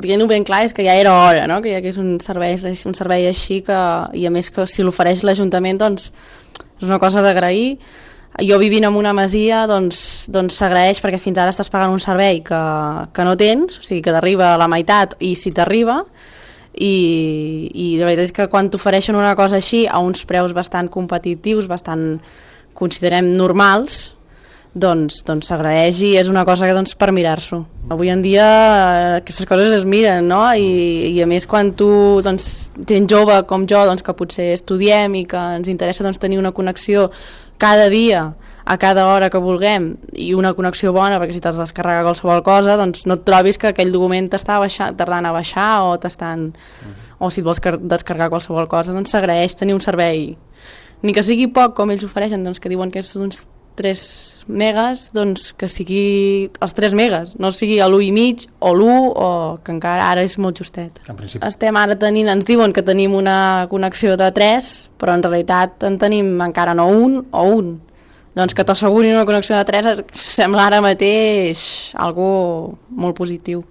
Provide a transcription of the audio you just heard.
dient-ho ben clar, és que ja era hora, no? Que hi hagués un servei així que, i a més que si l'ofereix l'Ajuntament, doncs és una cosa d'agrair. Jo vivint en una masia doncs s'agraeix perquè fins ara estàs pagant un servei que no tens, o sigui que t'arriba a la meitat i si t'arriba, i la veritat és que quan t'ofereixen una cosa així a uns preus bastant competitius, bastant considerem normals, doncs s'agraeix i és una cosa que per mirar-s'ho. Avui en dia aquestes coses es miren, no? I a més quan tu, gent jove com jo, que potser estudiem i que ens interessa tenir una connexió cada dia, a cada hora que vulguem, i una connexió bona, perquè si t'has de descarregar qualsevol cosa, doncs no et trobis que aquell document t'està tardant a baixar o o si et vols descarregar qualsevol cosa, doncs s'agraeix tenir un servei, ni que sigui poc com ells ofereixen, que diuen que és uns 3 megas, que sigui els 3 megas, no sigui l'1,5 o l'1, o que encara ara és molt justet. Estem ara ens diuen que tenim una connexió de 3, però en realitat en tenim encara no un o un. Doncs que t'assegurin una connexió de 3 sembla ara mateix algo molt positiu.